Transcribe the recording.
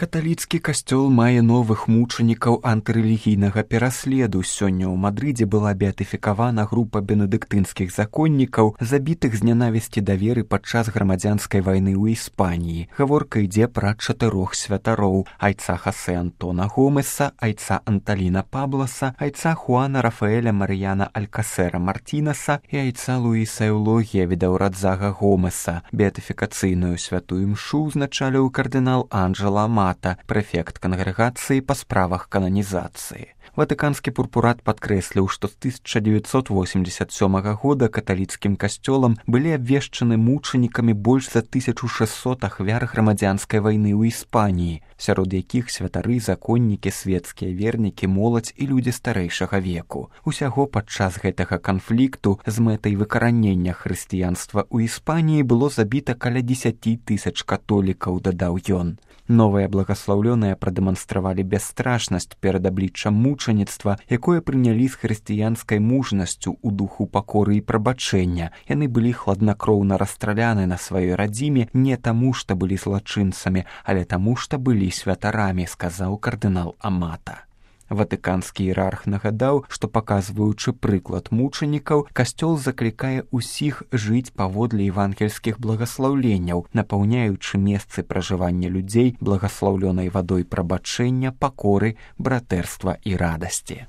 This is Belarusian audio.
Каталіцкі касцёл мае новых мучанікаў антырэлігійнага пераследу. Сёння ў Мадрыдзе была беатыфікавана група бенедыктынскіх законнікаў, забітых з нянавісці да веры падчас грамадзянскай вайны ў Іспаніі. Гаворка ідзе пра 4 святароў: айца Хосе Антона Гомеса, айца Анталіна Пабласа, айца Хуана Рафаэля Марияна Алькасера Мартинеса і айца Луіса Эулогія Відаўрадзага Гомеса. Беатыфікацыйную святую імшу ўзначаліў кардынал Анджела Амата, прэфект кангрэгацыі па справах кананізацыі. Ватыканскі пурпурат падкрэсліў, што з 1987 года каталіцкім касцёлам былі абвешчаны мучанікамі больш за 1600 ахвяр грамадзянскай вайны ў Іспаніі, сярод якіх святары, законнікі, свецкія вернікі, моладзь і людзі старэйшага веку. Усяго падчас гэтага канфлікту з мэтай выкаранення хрысціянства ў Іспаніі было забіта каля 10 000 католікаў, дадаў ён. Новыя благаслаўлёныя прадэманстравалі бясстрашнасць перад абліччам мучаніцтва, якое прынялі з хрысціянскай мужнасцю ў духу пакоры і прабачэння. Яны былі хладнакроўна расстраляны на сваёй радзіме не таму, што былі злачынцамі, але таму, што былі святарамі, сказаў кардынал Амата. Ватыканскі іерарх нагадаў, што, паказваючы прыклад мучанікаў, касцёл заклікае ўсіх жыць паводле евангельскіх благаслаўленняў, напаўняючы месцы пражывання людзей благаслаўлёнай вадой прабачэння, пакоры, братэрства і радасці.